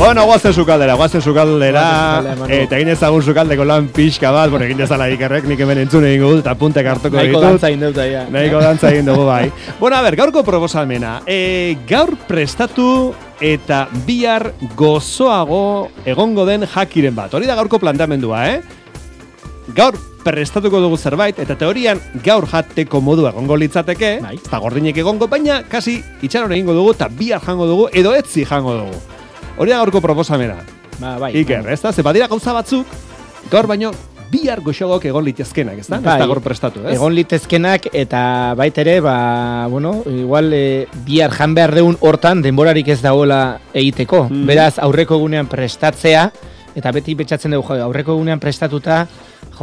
Bueno, guazen sukaldera, eta egin ezagun sukaldeko lan pixka bat, egin dezala ikerrek, nik hemen entzun egin dut, eta puntek hartuko ditut. Nahiko dantza egin dut, ja. Nahiko dantza egin dugu, bai. Bueno, a ber, gaurko proposamena. Gaur prestatu eta bihar gozoago egongo den jakiren bat. Hori da gaurko planteamendua, Gaur prestatuko dugu zerbait, eta teorian gaur jateko modu egongo litzateke, eta gordinek egongo, baina kasi itxaron egingo dugu, eta bihar jango dugu, edo etzi jango dugu. Hori da gaurko proposamena. Bai. Iker, ez da? Ze badira gauza batzuk, gaur baino bihar goxogok egon litezkenak, ez da? Ez da gaur prestatu, ez? Egon litezkenak, eta baitere, igual bihar jan behar deun hortan denborarik ez dagoela egiteko. Beraz, aurreko egunean prestatzea, eta beti betxatzen dugu, aurreko egunean prestatuta,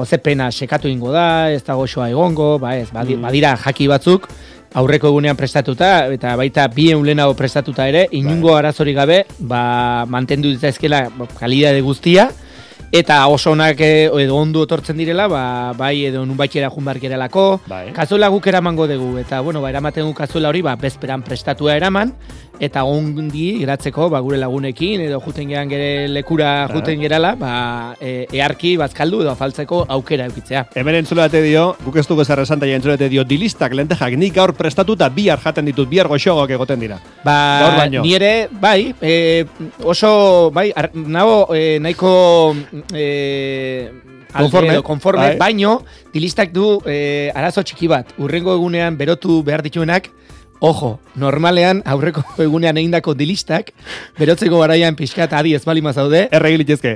ze pena sekatu ingo da, ez da goxoa egongo, badira jaki batzuk, aurreko egunean prestatuta, eta baita 2 lehenago prestatuta ere, inungo arazorik gabe, mantendu ditzaizkela kalidade guztia, eta oso onak edo ondo etortzen direla, bai edo nunbaitxera junbar gerelako, kazuela guk eramango dugu, eta eramaten gu kazuela hori, bezperan prestatua eraman, eta ondi geratzeko gure lagunekin, edo juten geran gere lekura juten gerala, earki bazkaldu edo afaltzeko aukera eukitzea. Hemen entzulate dio, guk ez dugu ezarra esan taia entzulate dio, dilistak, lentejak, nik gaur prestatuta bihar jaten ditut, bihar goxogok egoten dira. Gaur baino. Ni ere, oso, nago nahiko konforme, baino, dilistak du arazo txiki bat. Urrengo egunean berotu behar dituenak, ojo, normalean aurreko egunean egindako dilistak, berotzeko garaian pixkat adi ez bali mazaude. Erregilitezke.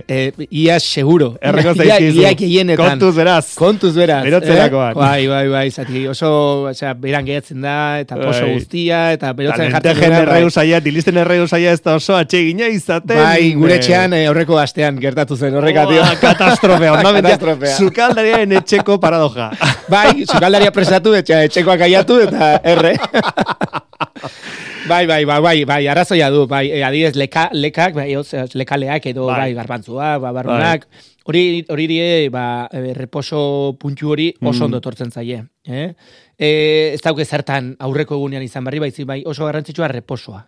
Ia seguro. Erreko zaizkizu. Iak eienetan. Kontuz beraz. Berotzerakoan. Bai, zati, oso, beran gehiatzen da, eta poso guztia, eta berotzen jartzen dena. Dilisten erregu zaia ez da oso atsegina izaten. Bai, gure etxean aurreko astean gertatu zen, horrekatio. Katastrofea, sukaldariaren etxeko paradoja. Bai, sukaldaria presatu, etxekoak aiatu, eta erre. Bai, arrazoia du, adibidez lekak, lekaleak edo garbantzua, barrunak, hori die, reposo puntu hori oso ondo tortzen zaie. Ez dauke zertan aurreko egunean izan barri, bai oso garrantzitsua reposoa.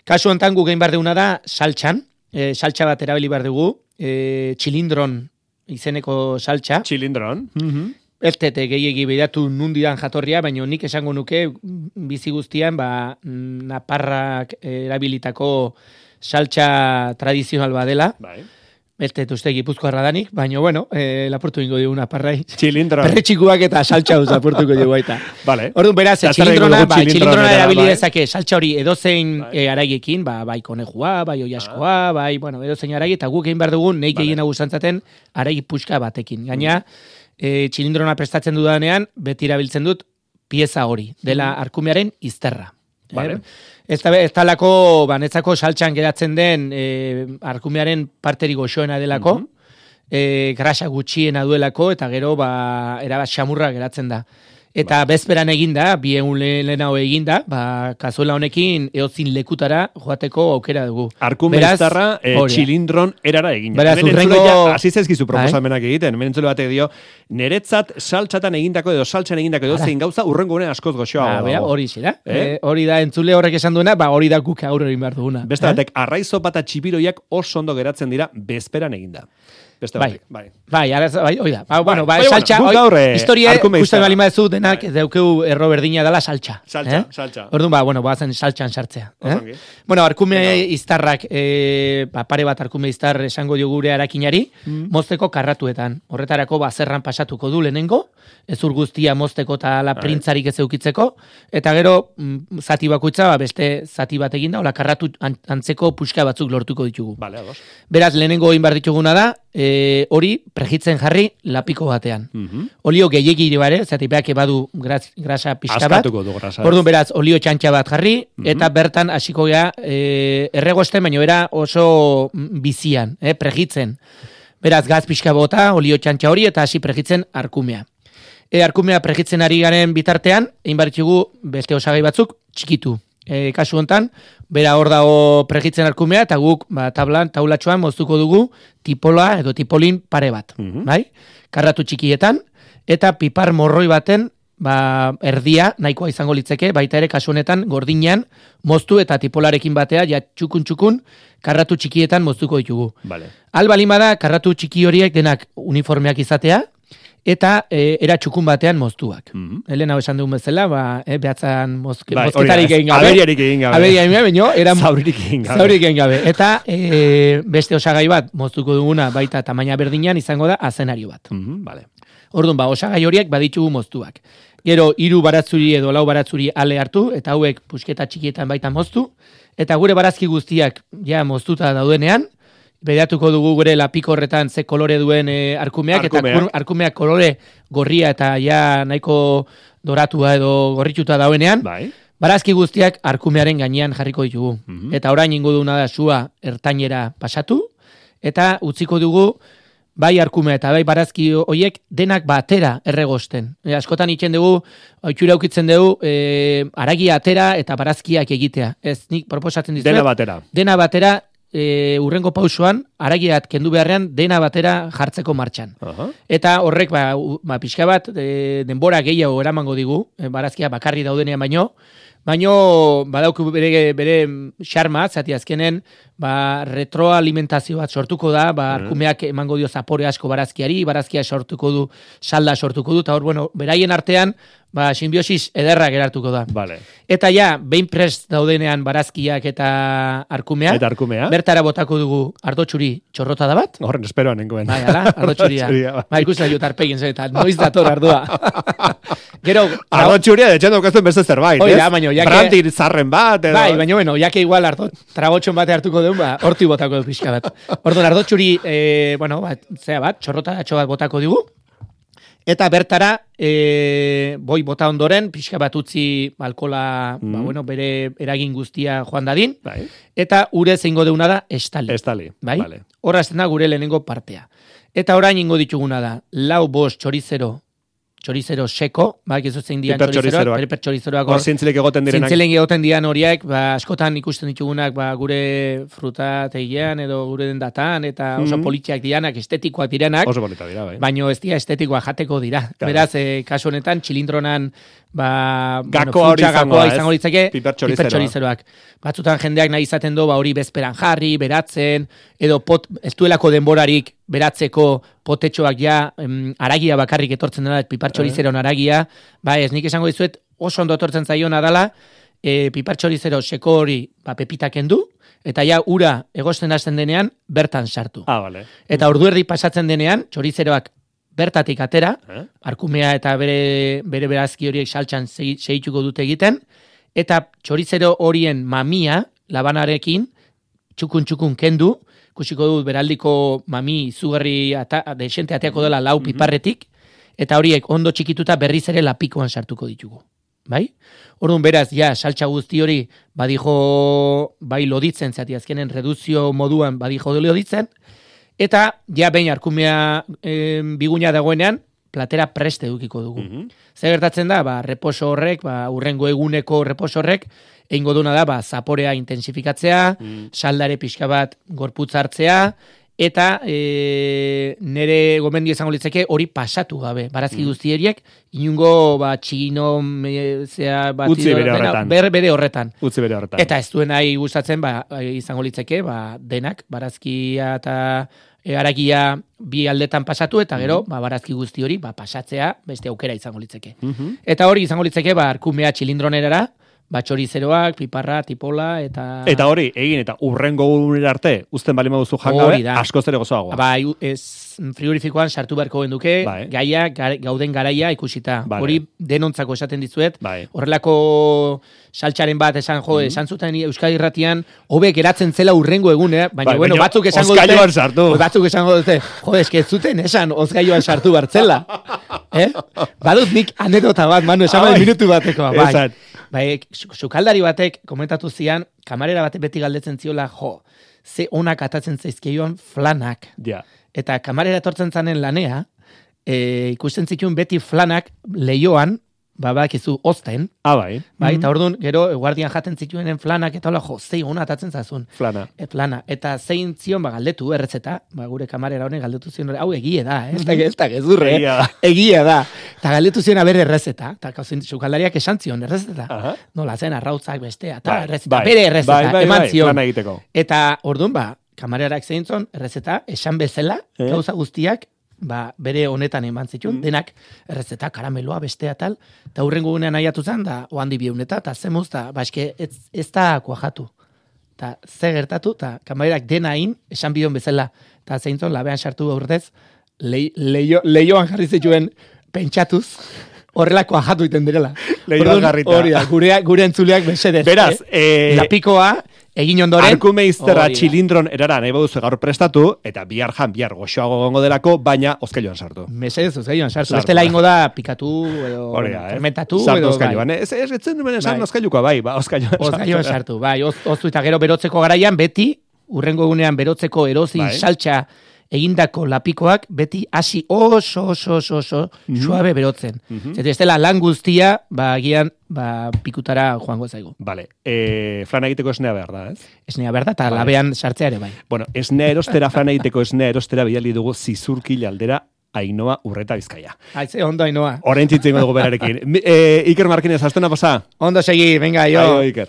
Kasu honetan gu gehin behar duguna da saltxan, saltxa bat erabili behar dugu, txilindron izeneko saltxa. Txilindron. Ez tete gehiegi behiratu nundidan jatorria, baina nik esango nuke bizi guztian naparrak erabilitako saltxa tradizional badela. Ez tete uste Gipuzkoarra danik, baina lapurtu ingo dugu naparrai. Txilindron. Perretxikuak eta saltxa lapurtuko dugu baita. Orduan beraz, txilindrona erabili dezake saltxa hori edozein araiekin, bai konejua, bai oiaskoa, bai edozein araie, eta guk egin behar dugun, neik egin agustantzaten araik puxka batekin. Gaina, txilindrona prestatzen dudanean, beti erabiltzen dut pieza hori, dela arkumearen izterra. Ez talako, netzako saltxan geratzen den arkumearen parteri goxoena delako, grasa gutxiena duelako, eta gero erabat xamurra geratzen da. Eta bezperan eginda, 2 lehenago eginda, kazuela honekin eotzin lekutara joateko aukera dugu. Arkume iztarra txilindron erara egin. Beraz, hasi zaizkizu proposamenak egiten, hemen entzule batek dio, niretzat saltxatan egindako edo saltxan egindako edo zein gauza urrengo gunean askoz goxoa. Hori zira. Hori da entzule horrek esan duena, hori da guk aurre egin behar duguna. Beste batek, arraizo eta txipiroiak oso ondo geratzen dira bezperan eginda. Hoi da. Saltxa, historia, guztien balima ez du denak deukeu erro berdina dela saltxa. Saltxa. Orduan, bazen saltxan sartzea. Arkume iztarrak, pare bat arkume iztar esango diogure arakinari, mozteko karratuetan. Horretarako, zerran pasatuko du lehenengo, ezur guztia mozteko eta la printzarik ez eukitzeko, eta gero, zati bakoitza, beste zati bat eginda, hola karratu antzeko puxka batzuk lortuko ditugu. Beraz, lehenengo egin behar dituguna da, hori pregitzen jarri lapiko batean. Olio gehiagiri bare, zatipeak badu grasa pixka bat. Orduan beraz, olio txantxa bat jarri, eta bertan hasiko gea erregosten, baina era oso bizian, pregitzen. Beraz, gaz pixka bota, olio txantxa hori, eta hasi pregitzen arkumea. Arkumea pregitzen ari garen bitartean, egin baritxugu beste osagai batzuk txikitu. Kasu hontan, bera hor dago pregitzen arkumea, eta guk taulatxoan moztuko dugu tipola edo tipolin pare bat. Karratu txikietan, eta pipar morroi baten erdia nahikoa izango litzeke, baita ere kasu honetan gordinean moztu eta tipolarekin batea ja txukun karratu txikietan moztuko ditugu. Vale. Albalimada karratu txiki horiek denak uniformeak izatea eta era txukun batean moztuak. Elena esan dugun bezala, behatzan mozketarik egin gabe. Aberiarik egin gabe. Aberiarik egin gabe, zauririk egin gabe. Zauririk egin gabe. Eta beste osagai bat moztuko duguna baita tamaina berdinean izango da azenario bat. Vale. Orduan, osagai horiek baditugu moztuak. Gero, 3 baratzuri edo 4 baratzuri ale hartu, eta hauek pusketa txikietan baita moztu, eta gure barazki guztiak ja moztuta daudenean, bedatuko dugu gure lapiko horretan ze kolore duen arkumeak, eta arkumeak kolore gorria eta ja nahiko doratua edo gorrituta daudenean, barazki guztiak arkumearen gainean jarriko ditugu. Eta orain ingo duguna da sua ertainera pasatu, eta utziko dugu bai arkumea eta bai barazki hoiek denak batera erregosten. Askotan itzen dugu, oitxura ukitzen dugu, haragia atera eta barazkiak egitea. Ez, nik proposatzen dizuet. Dena batera, urrengo pausoan, haragiat kendu beharrean, dena batera jartzeko martxan. Eta horrek, pixka bat, denbora gehiago eramango digu, barazkia bakarri daudenean baino badauku bere xarma, zati azkenen, retroalimentazio bat sortuko da, arkumeak emango dio zapore asko barazkiari, barazkia sortuko du, salda sortuko du, eta hor, beraien artean, simbiosis ederra gerartuko da. Vale. Eta ja, behin prest daudenean barazkiak eta arkumea, bertara botako dugu ardotxuri txorrota da bat. Horren esperoan nengoen. Bai, ala, ardotxuria. Ikusten dut arpegin zen, eta noiz dator ardua. Gero, ardotxuria detxen daukazten beste zerbait, ez? Baino, Brandir zarren bat, edo... Bai, baino, jake igual tragotxon bate hartuko duen, horti botako dut pixka bat. Orduan, ardotxuri, txorrota datxo bat botako dugu, eta bertara, boi bota ondoren, pixka bat utzi alkola, bere eragin guztia joan dadin, eta ure zeingo deuna da estali. Bai? Horra azten da gure lehenengo partea. Eta orain ingo dituguna da, 4-5 txorizero seko, ez zein dian txorizeroak, piper txorizeroak. Hor zintzilik egoten direnak. Zintzilik egoten dian horiek, askotan ikusten ditugunak gure fruta tegian edo gure dendatan, eta oso politxeak dianak, estetikoak direnak. Oso polita dira, bai. Baina ez dira estetikoa jateko dira. Beraz, kasu honetan, txilindronan gakoa izango litzake piper txorizeroak. Batzutan jendeak nahi izaten du hori bezperan jarri, beratzen, edo ez duelako denborarik beratzeko potetxoak haragia bakarrik etortzen dela, piper txorizeron haragia, ez nik esango dizuet oso ondo etortzen zaiona dela, piper txorizero seko hori pepitak kendu, eta ura egosten hasten denean bertan sartu. Vale. Eta ordu erdi pasatzen denean, txorizeroak bertatik atera, arkumea eta bere berazki horiek saltxan segituko dute egiten, eta txorizero horien mamia, labanarekin, txukun kendu, kusiko dut beraldiko mami izugarri desente ateako dela 4 piparretik, eta horiek ondo txikituta berriz ere lapikoan sartuko ditugu. Bai? Orduan beraz, saltxa guzti hori badijo bai loditzen, zati azkenen reduzio moduan badijo loditzen, eta behin arkumea biguna dagoenean, platera preste edukiko dugu. Zer gertatzen da, reposo horrek, urrengo eguneko reposo horrek, egingo duna da, zaporea intensifikatzea, saldare pixka bat gorputz hartzea, eta nire gomendio izango litzeke hori pasatu gabe. Barazki guztieriek, inungo txino, utzi bere horretan. Eta ez duen nahi gustatzen, izango litzeke, denak, barazkia eta haragia bi aldetan pasatu, eta gero, barazki guzti hori, pasatzea, beste aukera izango litzeke. Eta hori izango litzeke, arkumea txilindronerara, txorizeroak, piparra, tipola, eta... Eta hori, egin eta urrengo unera arte, uzten bali maduzu jangabe, askoz ere gozoagoa. Frigorifikoan sartu beharko genduke, gaia, gauden garaia ikusita. Hori denontzako esaten dizuet, horrelako saltxaren bat esan zuten Euskadi Irratian, hobe geratzen zela urrengo egunea, baina batzuk esango dute, eske zuten esan ozgaioan sartu bartzela. Badut nik anedota bat, Manu, esan minutu bateko. Sukaldari batek komentatu zian, kamarera batek beti galdetzen ziola, ze onak atatzen zaizkioan flanak. Eta kamarera etortzen zanen lanea, ikusten zituen beti flanak lehioan, bakizu ozten. Bai. Bai, eta orduan, gero, guardian jaten zituenen flanak, eta hola, zei hona atatzen zazun. Flana. Flana. Eta zein zion, galdetu erretzeta, gure kamarera honek galdetu zion, hau egie da, ez da gezurre, egia da. Eta galdetu zion aber errezeta, eta kauzin, sukaldariak esan zion errezeta. Nola zen, arrautzak bestea, eta errezeta, bere errezeta, eman zion. Eta orduan, kamararak zein zion, errezeta, esan bezala, gauza guztiak, bere honetan eman zituen, denak errezeta, karameloa, bestea tal, eta hurrengo gunean nahiatu zen, da oandi bieuneta, eta zemuz, eta eske ez da kuajatu. Eta ze gertatu, eta kamarerak dena hain, esan bion bezala, eta zeintzon, labean sartu aurrez, leioan jarri zituen pentsatuz, horrela kuajatu iten direla. Leioan jarrita. Hori da, gure entzuleak mesedez. Beraz, lapikoa, egin ondoren. Arkumeizterra txilindron erara nahi baduzu gaur prestatu, eta bihar goxoago gongo delako, baina ozkailuan sartu. Mesedez, ozkailuan sartu. Beste laingo da pikatu, edo fermentatu. Sartu ozkailuan. Ez etzen duen esan ozkailukoa, ozkailuan sartu. Bai, oztu eta gero berotzeko garaian, beti, urrengo egunean berotzeko erozi saltxa egindako lapikoak beti hasi oso suabe berotzen. Ez dela lan guztia, agian pikutara joango zaigu. Vale. Flana egiteko esnea behar da, ez? Esnea behar da, eta labean sartzea ere bai. Bueno, esnea erostera, flana egiteko esnea erostera bidali dugu Zizurkil aldera Ainhoa Urreta Bizkaia. Aize, ondo Ainhoa. Orain txitzen dugu berarekin. Iker Markinez, astena pasa? Ondo segi, venga, jo. Iker.